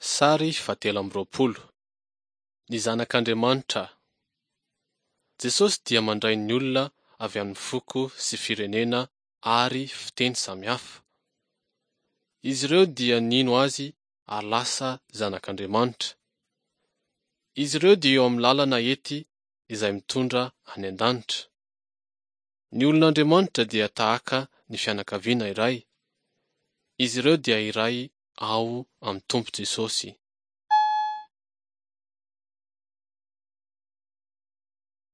Sary fahatelo amby 20. Ny Zanak'Andriamanitra. Jesosy dia mandray ny olona avy amin'ny foko sy firenena ary fiteny samihafa. Izy ireo dia nino Azy ary lasa zanak'Andriamanitra. Izy ireo dia eo amin'ny lalana ety izay mitondra any an-danitra. Ny olon'Andriamanitra dia tahaka ny fianakaviana iray. Izy ireo dia iray ao amin'ny Tompo Jesosy.